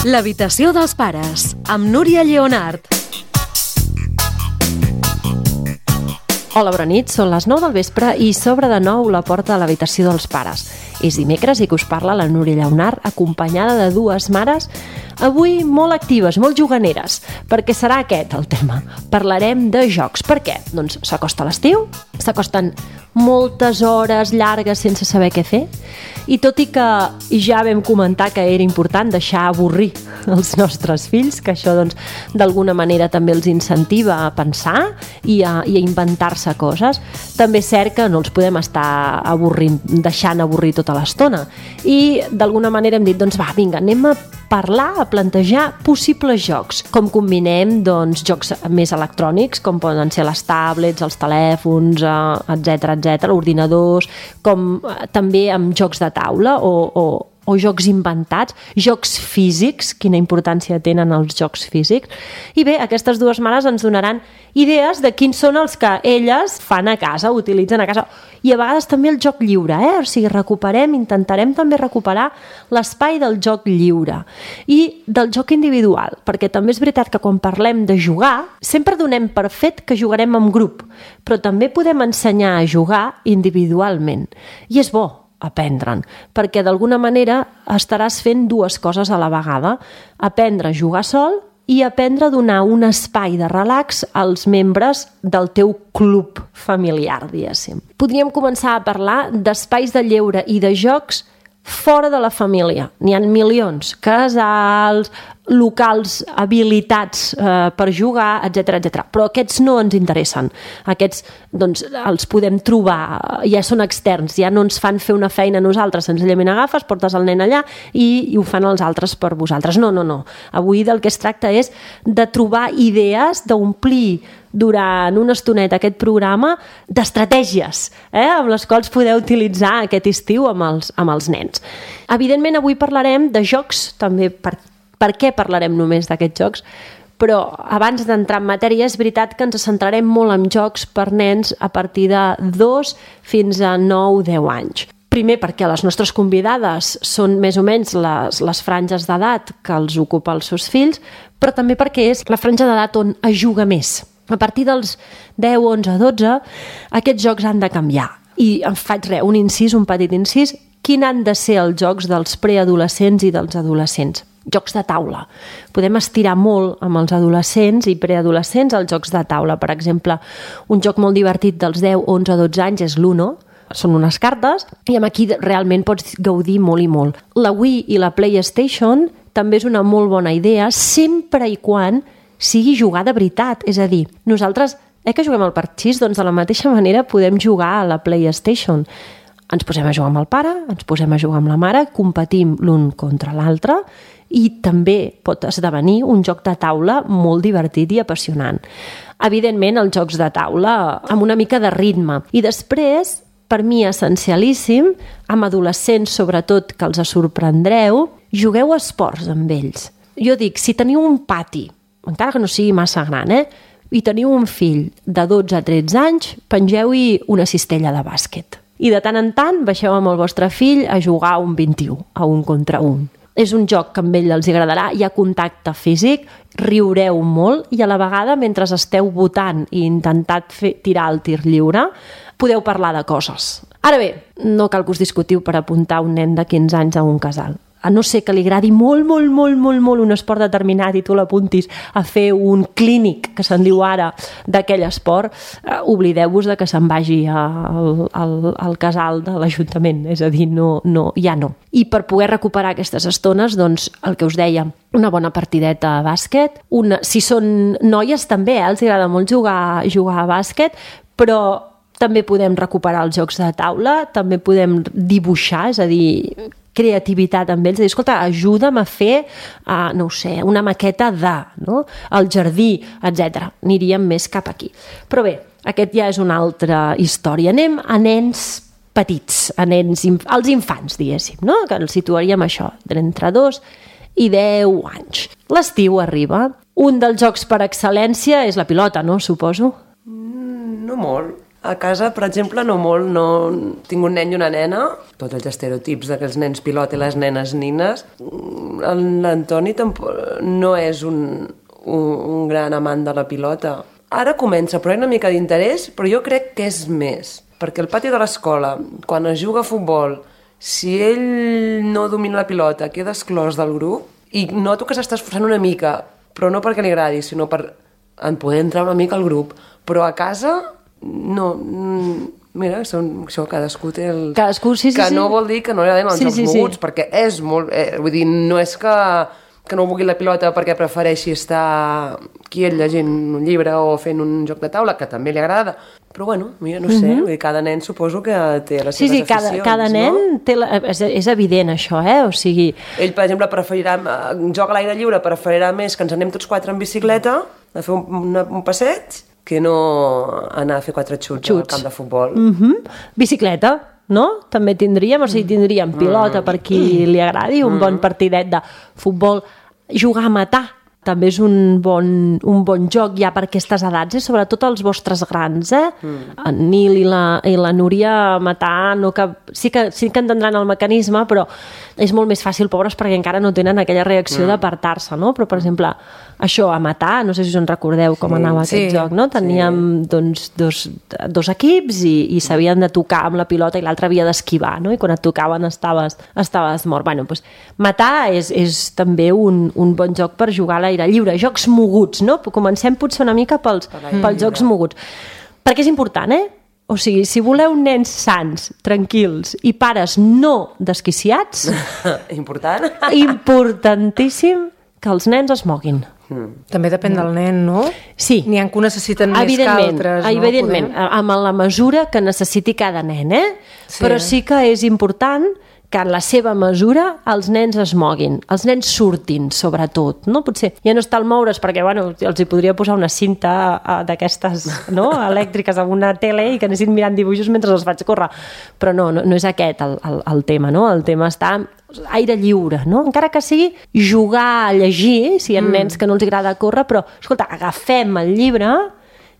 L'habitació dels pares, amb Núria Lleonart. Hola, bona nit, són les 9 del vespre i s'obre de nou la porta de l'habitació dels pares. És dimecres i que us parla la Núria Lleonart, acompanyada de dues mares, avui molt actives, molt juganeres, perquè serà aquest el tema. Parlarem de jocs. Per què? Doncs s'acosta l'estiu, s'acosten moltes hores llargues sense saber què fer, i tot i que ja vam comentar que era important deixar avorrir els nostres fills, que això doncs d'alguna manera també els incentiva a pensar i a inventar-se coses, també és cert que no els podem estar deixant avorrir tota l'estona, i d'alguna manera hem dit, doncs va, vinga, anem a parlar, a plantejar possibles jocs, com combinem doncs jocs més electrònics, com poden ser les tablets, els telèfons, etc, ordinadors, com també amb jocs de taula o jocs inventats, jocs físics, quina importància tenen els jocs físics. I bé, aquestes dues mares ens donaran idees de quins són els que elles fan a casa, utilitzen a casa, i a vegades també el joc lliure, o sigui, intentarem també recuperar l'espai del joc lliure i del joc individual, perquè també és veritat que quan parlem de jugar, sempre donem per fet que jugarem en grup, però també podem ensenyar a jugar individualment, i és bo aprendre'n, perquè d'alguna manera estaràs fent dues coses a la vegada, aprendre a jugar sol i aprendre a donar un espai de relax als membres del teu club familiar, diguéssim. Podríem començar a parlar d'espais de lleure i de jocs fora de la família. N'hi ha milions, casals, locals habilitats per jugar, etc. Però aquests no ens interessen. Aquests doncs, els podem trobar, ja són externs, ja no ens fan fer una feina a nosaltres, senzillament agafes, portes el nen allà i ho fan els altres per vosaltres. No. Avui del que es tracta és de trobar idees, d'omplir durant una estoneta aquest programa d'estratègies amb les quals podeu utilitzar aquest estiu amb els nens. Evidentment, avui parlarem de jocs, també per què parlarem només d'aquests jocs, però abans d'entrar en matèria és veritat que ens centrarem molt en jocs per nens a partir de 2 fins a 9-10 anys. Primer perquè les nostres convidades són més o menys les franges d'edat que els ocupa els seus fills, però també perquè és la franja d'edat on es juga més. A partir dels 10, 11, 12, aquests jocs han de canviar. I em faig un petit incís, quin han de ser els jocs dels preadolescents i dels adolescents? Jocs de taula. Podem estirar molt amb els adolescents i preadolescents els jocs de taula. Per exemple, un joc molt divertit dels 10, 11, 12 anys és l'Uno. Són unes cartes i amb aquí realment pots gaudir molt i molt. La Wii i la PlayStation també és una molt bona idea, sempre i quan sigui jugar de veritat. És a dir, nosaltres, que juguem al parxís, doncs de la mateixa manera podem jugar a la PlayStation. Ens posem a jugar amb el pare, ens posem a jugar amb la mare, competim l'un contra l'altre i també pot esdevenir un joc de taula molt divertit i apassionant. Evidentment, els jocs de taula amb una mica de ritme. I després, per mi essencialíssim, amb adolescents sobretot que els sorprendreu, jugueu a esports amb ells. Jo dic, si teniu un pati, encara que no sigui massa gran, i teniu un fill de 12 a 13 anys, pengeu-hi una cistella de bàsquet. I de tant en tant baixeu amb el vostre fill a jugar a un 21, a un contra un. És un joc que amb ell els agradarà, hi ha contacte físic, riureu molt i a la vegada, mentre esteu votant i intentant tirar el tir lliure, podeu parlar de coses. Ara bé, no cal que us discutiu per apuntar un nen de 15 anys a un casal. A no ser que li agradi molt un esport determinat i tu l'apuntis a fer un clínic, que se'n diu ara, d'aquell esport, oblideu-vos de que se'n vagi al casal de l'Ajuntament, és a dir, no. I per poder recuperar aquestes estones, doncs, el que us deia, una bona partideta a bàsquet, si són noies també, els agrada molt jugar a bàsquet, però també podem recuperar els jocs de taula, també podem dibuixar, és a dir, creativitat amb ells, escolta, ajuda'm a fer, una maqueta el jardí, etc. Aniríem més cap aquí. Però bé, aquest ja és una altra història. Anem a nens petits, als infants, diguéssim, que els situaríem això, d'entre 2 i 10 anys. L'estiu arriba. Un dels jocs per excel·lència és la pilota, no? Suposo. No molt. A casa, per exemple, no molt, no... Tinc un nen i una nena, tots els estereotips d'aquells nens pilot i les nenes nines. L'Antoni no és un gran amant de la pilota. Ara comença, però hi ha una mica d'interès, però jo crec que és més. Perquè al pati de l'escola, quan es juga a futbol, si ell no domina la pilota, queda exclòs del grup, i noto que s'està esforçant una mica, però no perquè li agradi, sinó per en poder entrar una mica al grup. Però a casa... No, mira, això cadascú té el... Cadascú, sí. No vol dir que no li agraden els jocs moguts, perquè és molt... vull dir, no és que no vulgui la pilota perquè prefereixi estar quiet llegint un llibre o fent un joc de taula, que també li agrada. Però bueno, mira, no sé, vull dir, cada nen suposo que té les seves aficions. Cada nen té és evident això, O sigui... Ell, per exemple, preferirà... Joc a l'aire lliure, preferirà més que ens anem tots quatre en bicicleta a fer un passeig que no anar a fer 4 xuts al camp de futbol. Bicicleta, no? També tindríem, o sigui, tindríem pilota per qui li agradi, un bon partidet de futbol. Jugar a matar també és un bon joc ja per aquestes edats, sobretot els vostres grans. En Nil i la Núria a matar sí que entendran el mecanisme, però és molt més fàcil, pobres, perquè encara no tenen aquella reacció d'apartar-se, no? Però, per exemple, això, a matar, no sé si us en recordeu com anava aquest joc, no? Teníem doncs, dos equips i s'havien de tocar amb la pilota i l'altre havia d'esquivar, no? I quan et tocaven estaves mort. Bueno, doncs, matar és també un bon joc per jugar a l'aire lliure. Jocs moguts, no? Comencem potser una mica pels jocs moguts. Perquè és important, O sigui, si voleu nens sans, tranquils i pares no desquiciats... Importantíssim que els nens es moguin. També depèn del nen, no? Sí. N'hi ha que ho necessiten més que altres, no? Evidentment, amb la mesura que necessiti cada nen, Sí. Però sí que és important que en la seva mesura els nens es moguin, els nens surtin, sobretot, no? Potser ja no està al moure's, perquè, bueno, els hi podria posar una cinta d'aquestes, no?, elèctriques amb una tele i que anessin mirant dibuixos mentre els faig córrer, però no és aquest el tema, no? El tema està aire lliure, no? Encara que sigui jugar a llegir, si hi ha nens que no els agrada córrer, però, escolta, agafem el llibre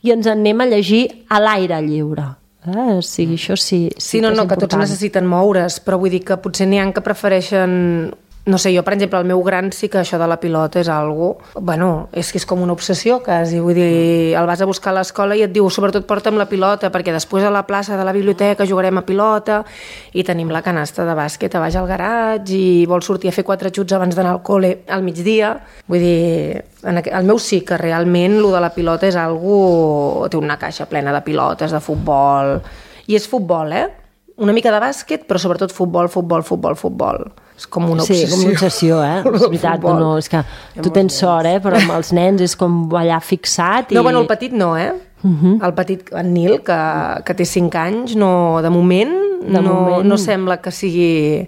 i ens anem a llegir a l'aire lliure. O sigui, això sí que tots necessiten moure's, però vull dir que potser n'hi ha que prefereixen... No sé, jo, per exemple, el meu gran sí que això de la pilota és algo... Bueno, és que és com una obsessió, quasi. Vull dir, el vas a buscar a l'escola i et diu, sobretot porta'm la pilota, perquè després a la plaça de la biblioteca jugarem a pilota i tenim la canasta de bàsquet a baix al garatge i vols sortir a fer 4 xuts abans d'anar al col·le al migdia. Vull dir, el meu sí que realment lo de la pilota és algo... Té una caixa plena de pilotes, de futbol... I és futbol, Una mica de bàsquet, però sobretot futbol. És com una obsessió. Sí, com una obsessió, És veritat, és que tu tens sort, però amb els nens és com allà fixat. No, bueno, el petit no, El petit, en Nil, que té 5 anys, no, de moment no sembla que sigui...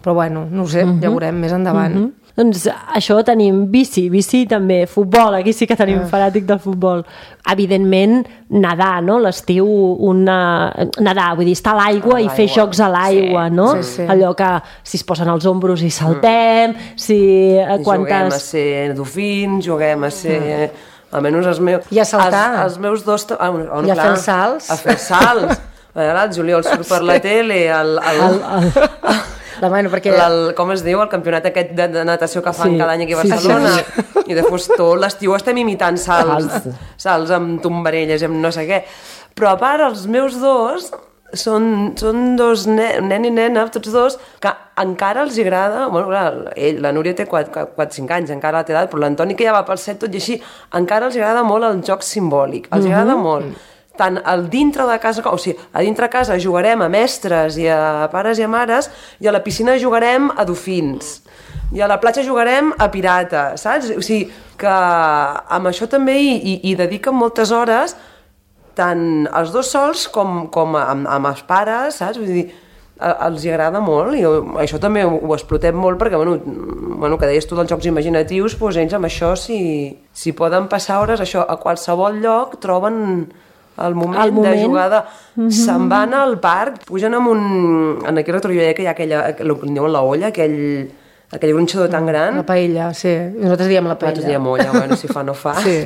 Però bueno, no ho sé, ja veurem més endavant. Doncs això tenim bici també, futbol, aquí sí que tenim fanàtic del futbol. Evidentment, nedar, no? L'estiu, nedar, vull dir, estar a l'aigua i fer jocs a l'aigua, no? Sí. Allò que si es posen els ombros i saltem, juguem a ser dofins, juguem a ser... Almenys els meus... I a saltar. Els meus dos... I a fer els salts. A fer salts. El Juliol surt per la tele, com es diu, el campionat aquest de natació que fan cada any aquí a Barcelona. I després tot l'estiu estem imitant salts amb tombarelles, amb no sé què. Però a part, els meus dos són dos nen i nena, tots dos, que encara els agrada... Bueno, clar, la Núria té 4-5 anys, encara té edat, però l'Antoni, que ja va pel 7, tot i així, encara els agrada molt el joc simbòlic. Els agrada molt. Tant al dintre de casa, o sigui, a dintre de casa jugarem a mestres i a pares i a mares, i a la piscina jugarem a dofins, i a la platja jugarem a pirata, saps? O sigui, que amb això també hi dediquen moltes hores, tant els dos sols com amb els pares, saps? Vull dir, els agrada molt, i això també ho explotem molt, perquè, bueno, que deies tu dels jocs imaginatius, doncs ells amb això, si poden passar hores, això, a qualsevol lloc, troben... El moment de jugada, se'n van al parc, pugen amb en aquell retrovisor que hi ha aquella, el que diuen la olla, aquell gronxador tan gran. La paella, sí. Nosaltres diem la paella. Nosaltres diem olla, bueno, si fa no fa. Sí.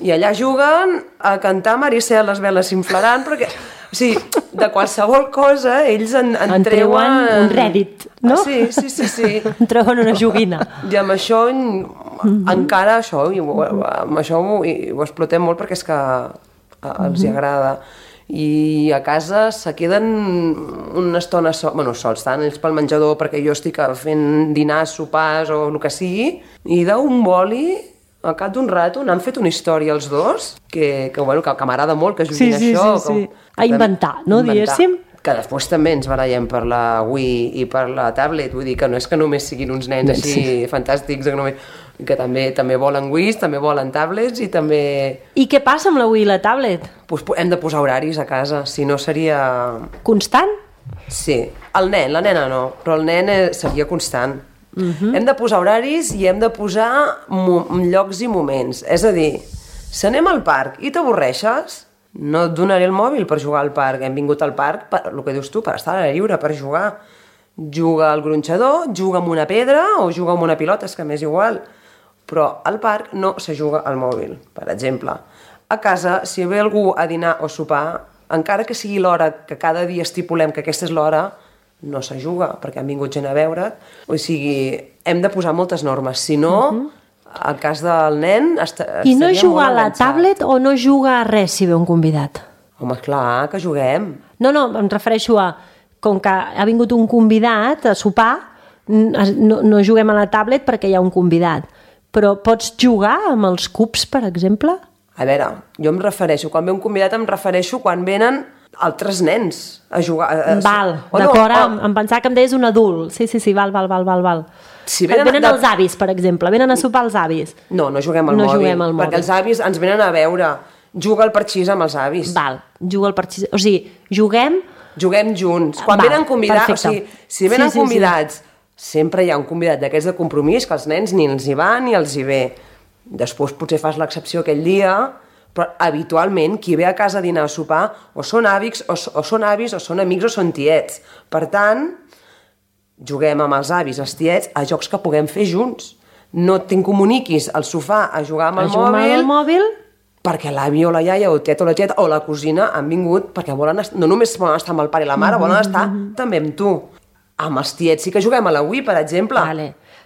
I allà juguen a cantar Maricel, les veles s'inflaran, perquè, o sigui, de qualsevol cosa ells en treuen... un rèdit, no? Sí. En treuen una joguina. I amb això, encara això, amb això ho explotem molt perquè és que els hi agrada. I a casa se queden una estona sols, tant ells pel menjador perquè jo estic fent dinars, sopars o el que sigui, i d'un boli al cap d'un rato n'han fet una història els dos que m'agrada molt que juguin això. Sí. A inventar, no, diguéssim? Que després també ens barallem per la Wii i per la tablet, vull dir que no és que només siguin uns nens així fantàstics, que també volen Wiis, també volen tablets i també... I què passa amb la Wii i la tablet? Pues hem de posar horaris a casa, si no seria... Constant? Sí, el nen, la nena no, però el nen seria constant. Hem de posar horaris i hem de posar llocs i moments, és a dir, si anem al parc i t'avorreixes, no et donaré el mòbil per jugar al parc, hem vingut al parc, el que dius tu, per estar a l'aire lliure, per jugar. Juga al gronxador, juga amb una pedra o juga amb una pilota, és que m'és igual. Però al parc no se juga al mòbil, per exemple. A casa, si ve algú a dinar o sopar, encara que sigui l'hora que cada dia estipulem que aquesta és l'hora, no se juga, perquè han vingut gent a veure't. O sigui, hem de posar moltes normes. Si no, al cas del nen, estaria molt enganxat. I no juga a la tablet o no juga a res si ve un convidat? Home, clar, que juguem. No, em refereixo a... Com que ha vingut un convidat a sopar, no juguem a la tablet perquè hi ha un convidat. Però pots jugar amb els cubs, per exemple? A veure, jo em refereixo, quan ve un convidat em refereixo quan venen altres nens a jugar. Val, d'acord, em pensava que em deies un adult. Sí, val. Si venen els avis, per exemple, venen a sopar els avis. No juguem al mòbil, perquè els avis ens venen a veure. Juga al parxís amb els avis. Val, juga al parxís. O sigui, juguem junts. Quan venen convidats, o sigui, si venen convidats, sempre hi ha un convidat d'aquests de compromís que els nens ni els hi va ni els hi ve. Després potser fas l'excepció aquell dia, però habitualment qui ve a casa a dinar o a sopar o són avis o són amics o són tiets. Per tant, juguem amb els avis, els tiets, a jocs que puguem fer junts. No t'incomuniquis al sofà a jugar amb el mòbil perquè l'avi o la iaia o el tiet o la tieta o la cosina han vingut perquè no només volen estar amb el pare i la mare, volen estar també amb tu. Amb els tiets sí que juguem a la Wii, per exemple,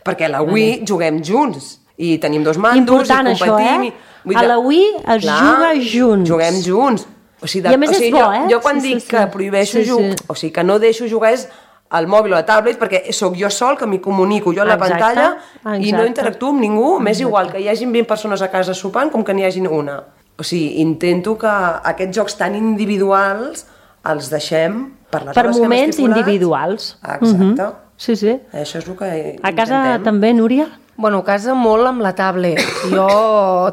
perquè a la Wii juguem junts i tenim dos mandos important, i competim. Això, a la Wii es juga junts. Juguem junts. I a més és bo, Jo quan dic que prohibeixo jugar, o sigui que no deixo jugar és al mòbil o a tablet, perquè sóc jo sol que m'hi comunico jo a la pantalla i no interactuo amb ningú, m'és igual que hi hagin 20 persones a casa sopant com que n'hi hagin una. O sigui, intento que aquests jocs tan individuals els deixem per les hores que hem estipulat. Per moments individuals. Exacte. Sí. Això és el que intentem. A casa també, Núria? Bueno, a casa molt amb la tablet.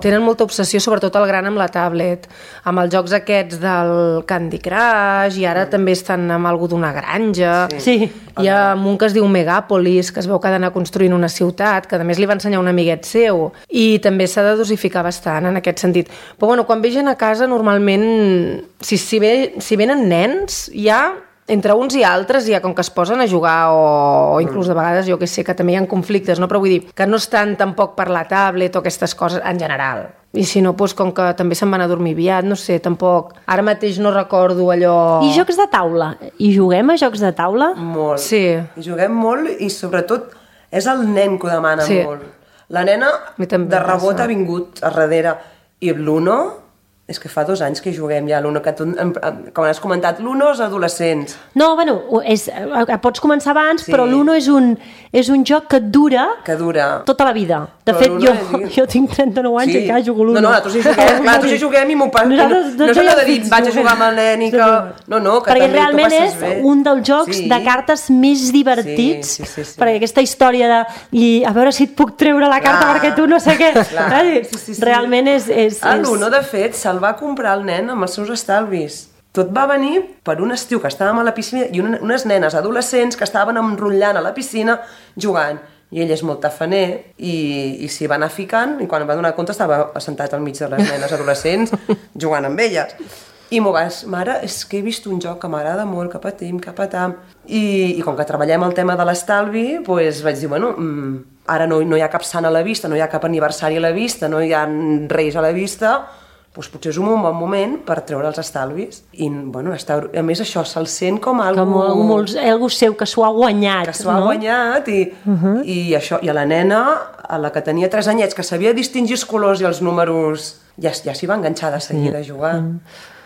Tenen molta obsessió, sobretot el gran, amb la tablet. Amb els jocs aquests del Candy Crush, i ara també estan amb algú d'una granja. Sí. Hi ha un que es diu Megapolis, que es veu que ha d'anar construint una ciutat, que a més li va ensenyar un amiguet seu. I també s'ha de dosificar bastant en aquest sentit. Però bueno, quan ve gent a casa, normalment, si venen nens, ja... Entre uns i altres, ja com que es posen a jugar o inclús de vegades, jo que sé, que també hi ha conflictes, no? Però vull dir que no estan tampoc per la tablet o aquestes coses en general. I si no, doncs com que també se'n van a dormir aviat, no sé, tampoc. Ara mateix no recordo allò... I jocs de taula? I juguem a jocs de taula? Molt. Sí. I juguem molt i sobretot és el nen que ho demana molt. La nena de rebot ha vingut a darrere i l'Uno... És que fa 2 anys que juguem ja l'Uno, que tu, com has comentat, l'Uno és adolescents. No, bueno, pots començar abans, però l'Uno és un joc que dura tota la vida. De fet, jo tinc 39 anys i encara jugo l'Uno. No, nosaltres hi juguem i m'ho passo. No s'ha de dir, vaig a jugar amb el nen i que... No, que perquè realment és un dels jocs de cartes més divertits, perquè aquesta història de a veure si et puc treure la carta perquè tu no sé què. Realment és... L'Uno, de fet, el va comprar el nen amb els seus estalvis. Tot va venir per un estiu que estàvem a la piscina i unes nenes adolescents que estaven enrotllant a la piscina jugant. I ell és molt tafaner i s'hi va anar ficant i quan em va donar compte estava assentat al mig de les nenes adolescents jugant amb elles. I m'ho vas, mare, és que he vist un joc que m'agrada molt, que patim, que patam. I com que treballem el tema de l'estalvi, doncs vaig dir, bueno, ara no hi ha cap sant a la vista, no hi ha cap aniversari a la vista, no hi ha reis a la vista, doncs potser és un bon moment per treure els estalvis. I, bueno, a més això se'l sent com algú seu que s'ho ha guanyat. Que s'ho ha guanyat i això, i a la nena, a la que tenia 3 anyets, que sabia distingir els colors i els números, ja s'hi va enganxar de seguida a jugar.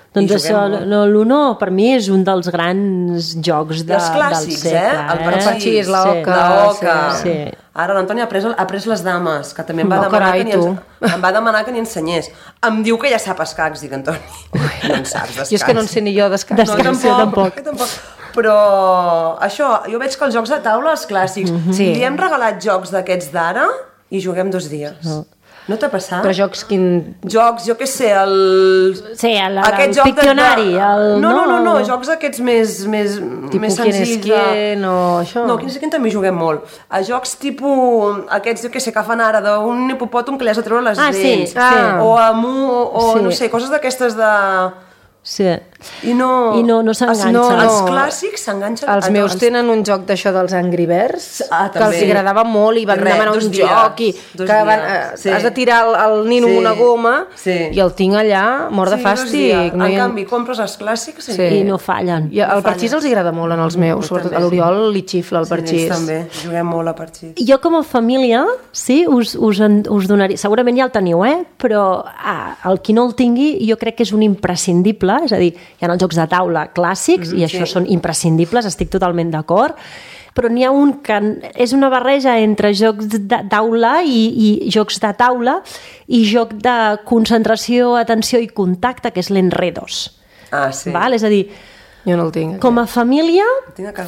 Doncs això, l'Uno per mi és un dels grans jocs del segle. Els clàssics, el parxís, la oca. Sí. Ara l'Antoni ha pres les dames, que també em va demanar que n'hi ensenyés. Em diu que ja sap escacs, dic, Antoni. No en saps d'escacs. Jo és que no en sé ni jo d'escacs. Tampoc. Però això, jo veig que els jocs de taula, els clàssics, li hem regalat jocs d'aquests d'ara i juguem 2 dies. No t'ha passat? Però jocs Jocs, jo què sé, el Pictionari. No, jocs aquests més senzills. Quién o això? No, Quién és quién també juguem molt. A jocs tipus, aquests, jo què sé, que fan ara d'un hipopòtom que li has de treure les dents. O no sé, coses d'aquestes de... Sí. I no s'enganxa. Els clàssics s'enganxen. Els meus tenen un joc d'això dels Angry Birds, que els agradava molt i van demanar un joc i has de tirar el nino amb una goma i el tinc allà, mort de fàstic. En canvi, compres els clàssics i no fallen. El parxís els agrada molt en els meus, sobretot a l'Oriol li xifla el parxís. Sí, també, juguem molt a parxís. Jo com a família, sí, us donaria, segurament ja el teniu, però el qui no el tingui jo crec que és un imprescindible, és a dir, hi ha els jocs de taula clàssics i això són imprescindibles, estic totalment d'acord, però n'hi ha un que és una barreja entre jocs de taula i jocs de taula i joc de concentració, atenció i contacte, que és l'Enredos. Sí. Val? És a dir, jo no el tinc. Com a família,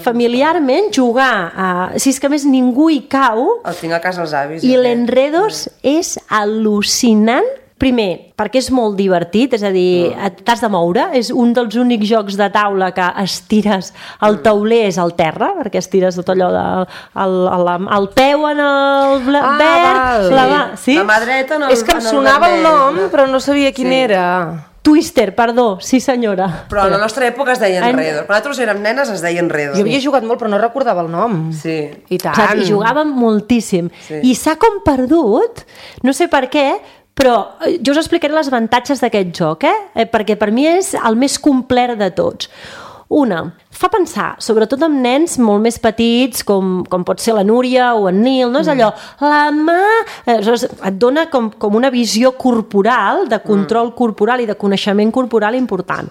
familiarment, jugar si és que més ningú hi cau... El tinc a casa els avis. I l'Enredos és al·lucinant. Primer, perquè és molt divertit, és a dir, t'has de moure, és un dels únics jocs de taula que estires el tauler és al terra, perquè estires tot allò el peu en el verd, la mà dreta en el... És que em sonava el nom, però no sabia quin era. Twister, perdó, sí senyora. Però a la nostra època es deia Enredos. Quan nosaltres érem nenes es deia Enredos. Jo havia jugat molt, però no recordava el nom. Sí. I tant. I jugàvem moltíssim. I s'ha com perdut, no sé per què, però jo us explicaré els avantatges d'aquest joc, perquè per mi és el més complet de tots. Una, fa pensar, sobretot amb nens molt més petits, com pot ser la Núria o en Nil, no és allò, la mà... Et dona com una visió corporal, de control corporal i de coneixement corporal important,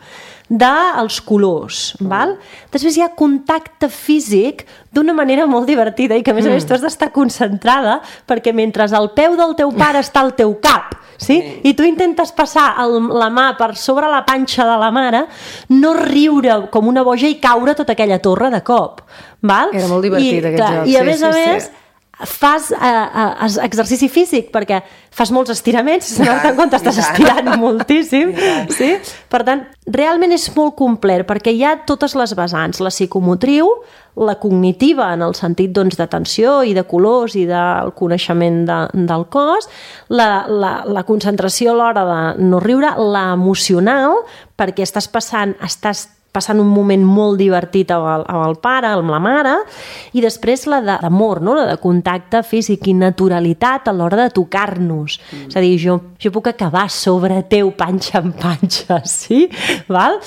dels colors, val? Després hi ha contacte físic d'una manera molt divertida i que a més tu has d'estar concentrada perquè mentre al peu del teu pare està el teu cap, sí? I tu intentes passar la mà per sobre la panxa de la mare, no riure com una boja i caure tota aquella torre de cop, val? Era molt divertit aquest joc. I a més fas exercici físic perquè fas molts estiraments, en compte estàs estirant moltíssim, sí? Per tant, realment és molt complet perquè hi ha totes les vessants, la psicomotriu, la cognitiva en el sentit d'atenció i de colors i del coneixement del cos, la concentració a l'hora de no riure, l'emocional, perquè estàs passant un moment molt divertit amb el pare, amb la mare, i després la d'amor, no? La de contacte físic i naturalitat a l'hora de tocar-nos. És a dir, jo puc acabar sobre teu panxa en panxa, sí? Val?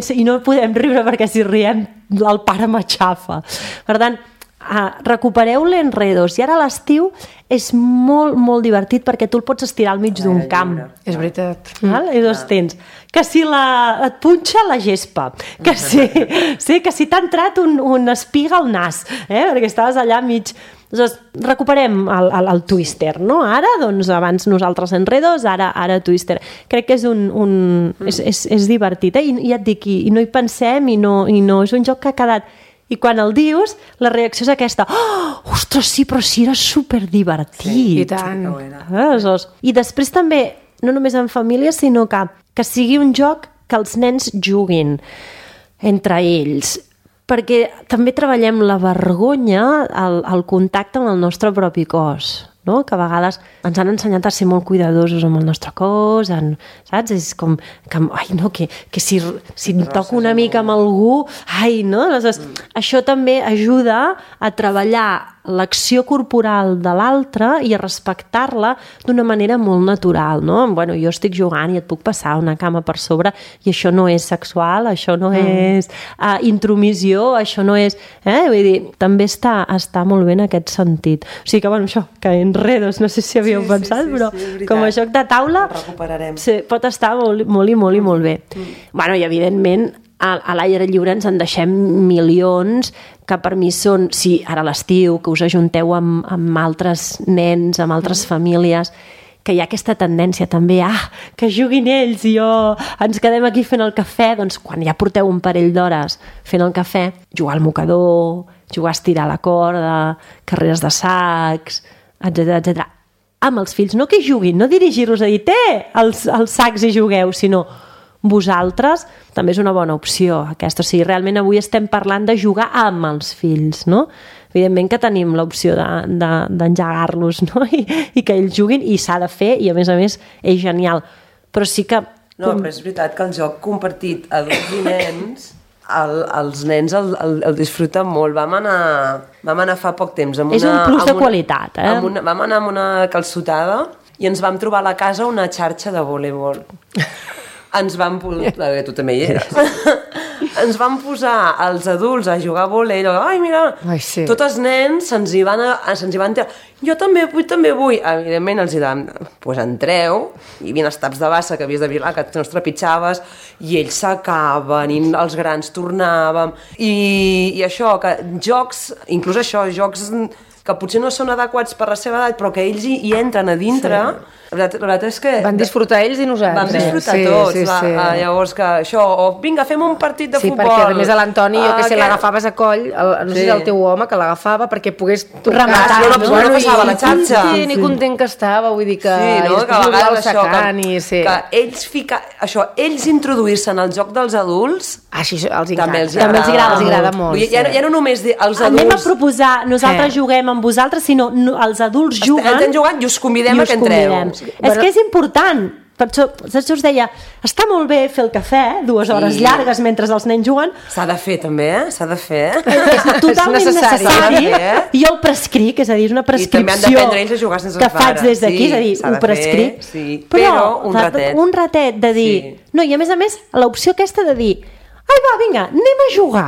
I no podem riure perquè si riem el pare m'aixafa. Per tant, recupereu l'Enredos i ara a l'estiu és molt, molt divertit perquè tu el pots estirar al mig d'un camp. És veritat. I dos tens. Que si et punxa la gespa, que si t'ha entrat un espiga al nas, perquè estaves allà mig... Doncs recuperem el Twister, no? Ara, doncs, abans nosaltres Enredos, ara Twister. Crec que és divertit, i et dic, i no hi pensem, i no és un joc que ha quedat... I quan el dius, la reacció és aquesta: oh, ostres, sí, però sí, era superdivertit. Sí, i tant. I després també, no només en família, sinó que sigui un joc que els nens juguin entre ells, perquè també treballem la vergonya, el contacte amb el nostre propi cos. no? Que a vegades ens han ensenyat a ser molt cuidadosos amb el nostre cos, saps? És com que no, que si em toco una mica amb algú, no? Aleshores, això també ajuda a treballar l'acció corporal de l'altre i a respectar-la d'una manera molt natural, no? Bueno, jo estic jugant i et puc passar una cama per sobre i això no és sexual, això no és intromissió, això no és... Vull dir, també està molt bé en aquest sentit. O sigui que, bueno, això, que enredos, no sé si havíeu pensat, però com a joc de taula pot estar molt i molt bé. Bueno, i evidentment a l'aire lliure ens en deixem milions que per mi són, sí, ara a l'estiu, que us ajunteu amb altres nens, amb altres famílies, que hi ha aquesta tendència també, que juguin ells i ens quedem aquí fent el cafè, doncs quan ja porteu un parell d'hores fent el cafè, jugar al mocador, jugar a estirar la corda, carreres de sacs, etc. Amb els fills, no que juguin, no dirigir-los a dir, els sacs i jugueu, sinó vosaltres, també és una bona opció aquesta. O sigui, realment avui estem parlant de jugar amb els fills, no? Evidentment que tenim l'opció d'engegar-los, no? I que ells juguin, i s'ha de fer, i a més és genial. Però sí que... No, però és veritat que el joc compartit adults i nens, els nens el disfruten molt. Vam anar fa poc temps amb és un plus de qualitat, vam anar amb una calçotada i ens vam trobar a la casa una xarxa de voleibol. Ens vam posar... Tu també hi eres. Ens vam posar els adults a jugar a vòlei, mira, tots els nens se'ns hi van tirar. Jo també vull. Evidentment els hi dèiem, doncs entreu, hi havia els taps de bassa que havies de vigilar, que no els trepitjaves, i ells s'acaben, i els grans tornàvem. I això, que jocs, inclús això, jocs que potser no són adequats per la seva edat, però que ells hi entren a dintre... La veritat és que... Van disfrutar ells i nosaltres. Van disfrutar tots. Llavors que això, vinga, fem un partit de futbol. Sí, perquè a més a l'Antoni, jo que sé, l'agafaves a coll, no sé si el teu home, que l'agafava perquè pogués rematar, no passava la xarxa. Ni content que estava, vull dir que... Sí, no? Que a vegades això, que ells introduir-se en el joc dels adults... Així els agrada. També els agrada molt. Ja no només dir els adults... Anem a proposar, nosaltres juguem amb vosaltres, sinó els adults juguen... Estem jugant i us convidem a que entreu. És que és important. Per això us deia, està molt bé fer el cafè, 2 hores llargues mentre els nens juguen. S'ha de fer també, s'ha de fer. És totalment necessari. I jo el prescric, és a dir, és una prescripció i també han d'aprendre ells a jugar sense els pares. Que faig des d'aquí, és a dir, ho prescric. Però un ratet de dir... No, i a més, l'opció aquesta de dir, vinga, anem a jugar.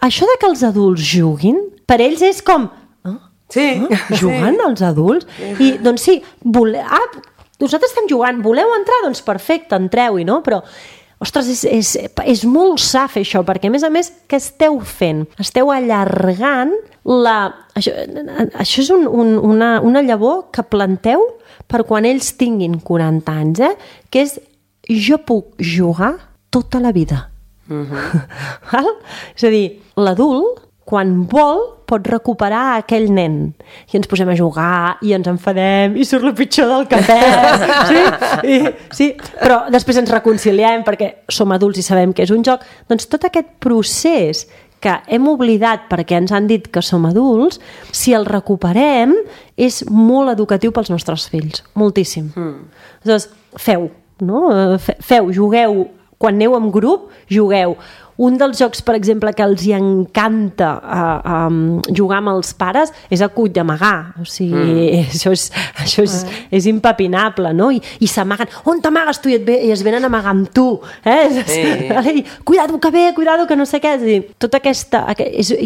Això de que els adults juguin, per ells és com... Jugant els adults? I doncs sí, nosaltres estem jugant, voleu entrar? Doncs perfecte, entreu-hi, no? Però, ostres, és molt sa fer això, perquè a més, què esteu fent? Esteu allargant Això és una llavor que planteu per quan ells tinguin 40 anys, que és jo puc jugar tota la vida. És a dir, l'adult, quan vol, pot recuperar aquell nen. I ens posem a jugar, i ens enfadem, i surt el pitjor del cafè. Sí, però després ens reconciliem perquè som adults i sabem que és un joc. Doncs tot aquest procés que hem oblidat perquè ens han dit que som adults, si el recuperem, és molt educatiu pels nostres fills. Moltíssim. Llavors, feu, jugueu. Quan aneu en grup, jugueu. Un dels jocs, per exemple, que els hi encanta jugar amb els pares és el cull d'amagar. O sigui, això és impepinable, no? I s'amaguen. On t'amagues tu? I es venen a amagar amb tu. Cuidado que ve, cuidado que no sé què. És a dir, tota aquesta...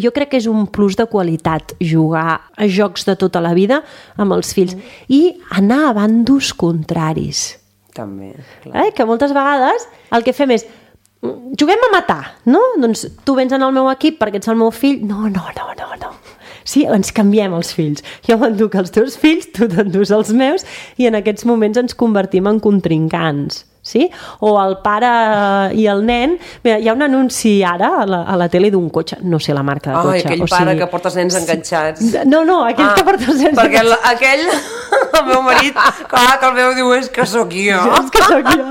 Jo crec que és un plus de qualitat jugar a jocs de tota la vida amb els fills. I anar a bandos contraris. També, clar. Que moltes vegades el que fem és juguem a matar, no? Doncs tu vens en el meu equip perquè ets el meu fill. No. Sí, ens canviem els fills. Jo m'enduc els teus fills, tu t'endús els meus, i en aquests moments ens convertim en contrincants. Sí? O el pare i el nen... Mira, hi ha un anunci ara a la tele d'un cotxe, no sé la marca de cotxe. Aquell pare que porta els nens enganxats. No, aquell que porta els nens enganxats. Perquè aquell, el meu marit, clar, que el meu diu, és que sóc jo. És que sóc jo.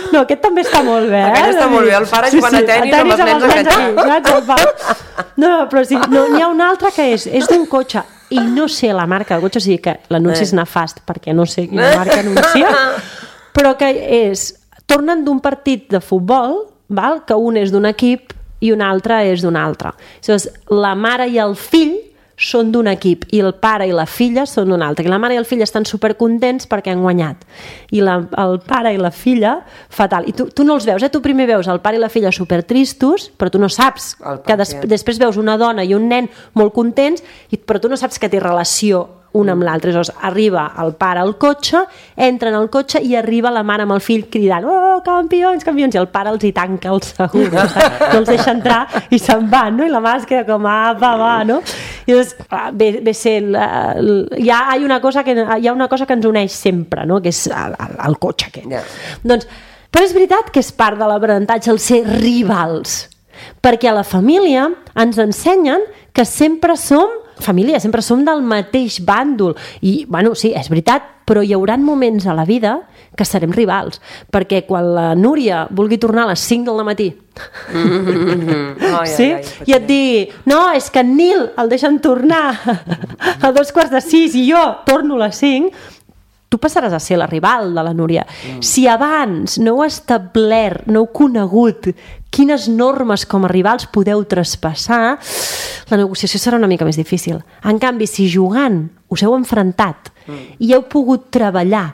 No, aquest també està molt bé. Aquest està molt bé, el pare jugant a tenis amb els nens enganxats. No, però sí, n'hi ha un altre que és d'un cotxe. i no sé la marca del cotxe, o sigui que l'anunci és nefast perquè no sé quina marca anuncia, però que tornen d'un partit de futbol, val? Que un és d'un equip i un altre és d'un altre. Llavors, la mare i el fill són d'un equip i el pare i la filla són d'un altre. I la mare i el fill estan supercontents perquè han guanyat. I el pare i la filla, fatal. I tu no els veus, tu primer veus el pare i la filla supertristos, però tu no saps que després veus una dona i un nen molt contents, però tu no saps que té relació un amb l'altre. Llavors arriba el pare al cotxe, entra en el cotxe i arriba la mare amb el fill cridant oh, campions, campions, i el pare els hi tanca el segur, no els deixa entrar i se'n van, no? I la mare es queda com apa, va, no? I llavors ve ser hi ha una cosa que ens uneix sempre, no? Que és el cotxe aquest. Doncs, però és veritat que és part de l'aprenentatge el ser rivals, perquè a la família ens ensenyen que sempre som família, sempre som del mateix bàndol i, bueno, sí, és veritat, però hi haurà moments a la vida que serem rivals, perquè quan la Núria vulgui tornar a les 5 del matí i et digui no, és que en Nil el deixen tornar a 5:15 i jo torno a les 5, tu passaràs a ser la rival de la Núria. Si abans no heu establert, no heu conegut quines normes com a rivals podeu traspassar, la negociació serà una mica més difícil. En canvi, si jugant us heu enfrontat i heu pogut treballar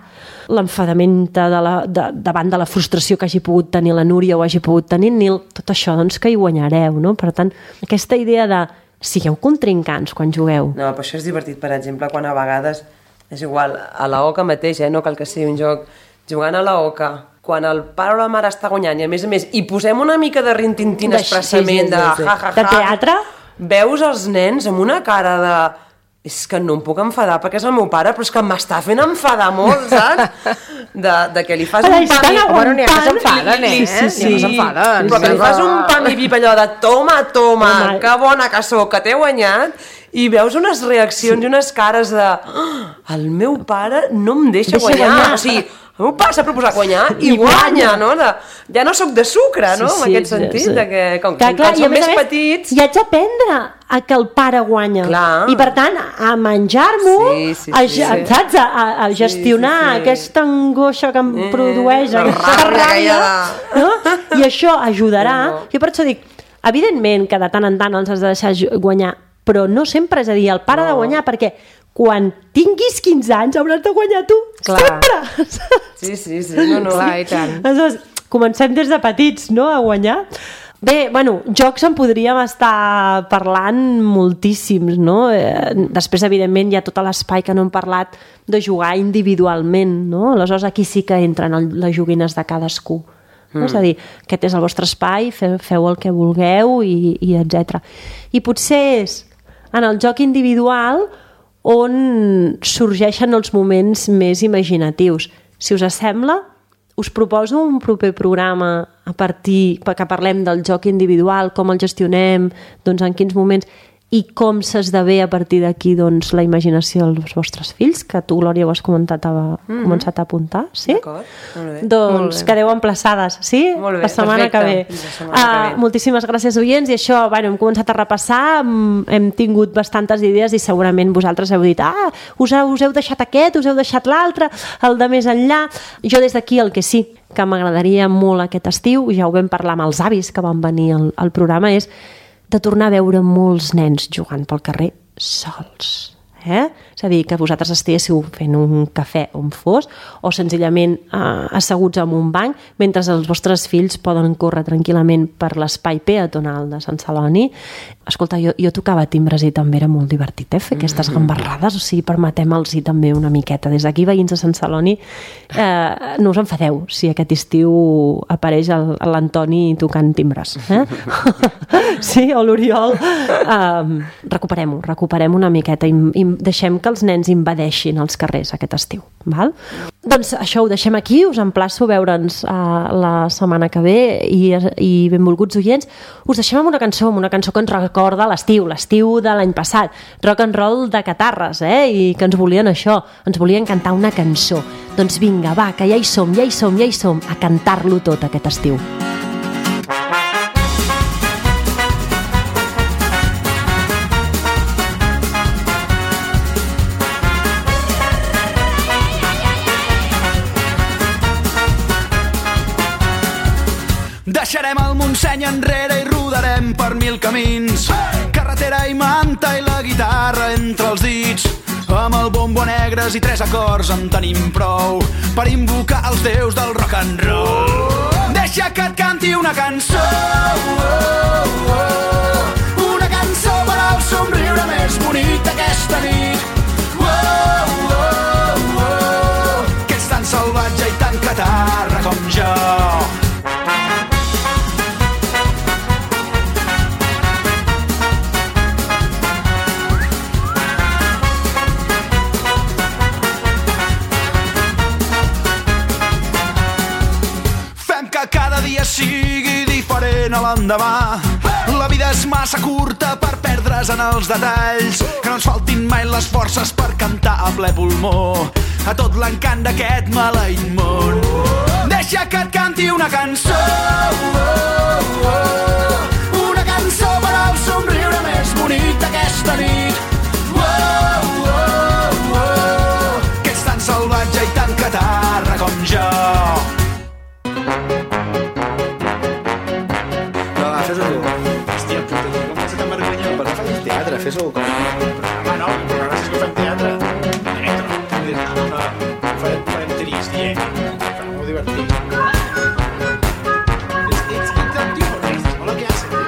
l'enfadament davant de la frustració que hagi pogut tenir la Núria o hagi pogut tenir en Nil, tot això doncs que hi guanyareu, no? Per tant, aquesta idea de sigueu contrincants quan jugueu. No, però això és divertit, per exemple, quan a vegades és igual, a la oca mateix, no cal que sigui un joc, jugant a la oca, quan el pare o la mare està guanyant i a més hi posem una mica de rintintín expressament de ja, de teatre, veus els nens amb una cara de és que no em puc enfadar perquè és el meu pare, però és que m'està fent enfadar molt, saps? De que li fas un pam i... Bueno, n'hi ha que s'enfaden, s'enfaden. Però que li fas un pam i pip allò de toma, que bona que sóc, que t'he guanyat, i veus unes reaccions i unes cares de el meu pare no em deixa guanyar. O sigui, el meu pare s'ha proposat guanyar i guanya, no? Ja no sóc de sucre, no? En aquest sentit, que com som més petits... I haig d'aprendre a que el pare guanya. I per tant, a menjar-m'ho, saps? A gestionar aquesta angoixa que em produeix aquesta ràbia, i això ajudarà. Jo per això dic, evidentment que de tant en tant els has de deixar guanyar, però no sempre és a dir, el pare ha de guanyar, perquè quan tinguis 15 anys hauràs de guanyar tu, sempre! Sí, no. Clar, i tant. Aleshores, comencem des de petits, no?, a guanyar. Bé, bueno, jocs en podríem estar parlant moltíssims, no? Després, evidentment, hi ha tot l'espai que no hem parlat de jugar individualment, no? Aleshores, aquí sí que entren les joguines de cadascú. És a dir, aquest és el vostre espai, feu el que vulgueu i etc. I potser és en el joc individual on sorgeixen els moments més imaginatius. Si us sembla, us proposo un proper programa a partir que parlem del joc individual, com el gestionem, doncs en quins moments i com s'esdevé a partir d'aquí doncs, la imaginació dels vostres fills, que tu, Glòria, ho has començat començat a apuntar, sí? D'acord, molt bé. Doncs quedeu emplaçades, sí? Molt bé, la setmana que ve. Moltíssimes gràcies, oients, i això, hem començat a repassar, hem tingut bastantes idees i segurament vosaltres heu dit us heu deixat aquest, us heu deixat l'altre, el de més enllà. Jo des d'aquí el que sí que m'agradaria molt aquest estiu, ja ho vam parlar amb els avis que van venir al programa, és de tornar a veure molts nens jugant pel carrer sols. És a dir, que vosaltres estiguéssiu fent un cafè on fos o senzillament asseguts en un banc mentre els vostres fills poden córrer tranquil·lament per l'espai peatonal de Sant Celoni. Escolta, jo tocava timbres i també era molt divertit fer aquestes gambarrades, o sigui, permetem-los també una miqueta. Des d'aquí, veïns de Sant Celoni, no us enfadeu si aquest estiu apareix l'Antoni tocant timbres. Sí, o l'Oriol. Recuperem una miqueta i deixem que els nens invadeixin els carrers aquest estiu. Val? Doncs això ho deixem aquí, us emplaço a veure'ns la setmana que ve i benvolguts oients, us deixem amb una cançó que ens recorda l'estiu de l'any passat, rock and roll de Catarres, i que ens volien això, ens volien cantar una cançó. Doncs vinga, va, que ja hi som, a cantar-lo tot aquest estiu. Deixarem el Montseny enrere i rodarem per 1000 camins. Carretera i manta i la guitarra entre els dits. Amb el bombo negres i 3 acords en tenim prou per invocar els déus del rock and roll. Deixa que et canti una cançó, una cançó per al somriure més bonic d'aquesta nit. Que és tan salvatge i tan catarra com jo. Cada dia sigui diferent a l'endemà. La vida és massa curta per perdre's en els detalls. Que no ens faltin mai les forces per cantar a ple pulmó a tot l'encant d'aquest maleït món. Deixa que et canti una cançó, una cançó per al somriure més bonic d'aquesta nit. Que ets tan salvatge i tan catarra com jo. Fes-ho tu. Hòstia, puta, com vas a tan vergonya? Per què fas teatre? Fes-ho com... Home, no, però gràcies que fem teatre. Farem trist, molt divertit. Ets interactiu, però és molt el que hace, tio.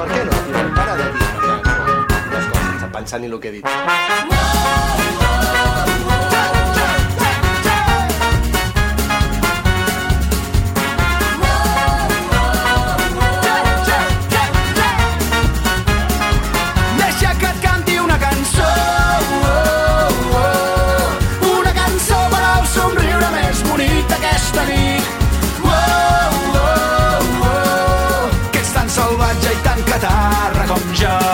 Per què no? Para de dir les coses, pensant ni el que he dit. Salvatge i tan catarra com jo.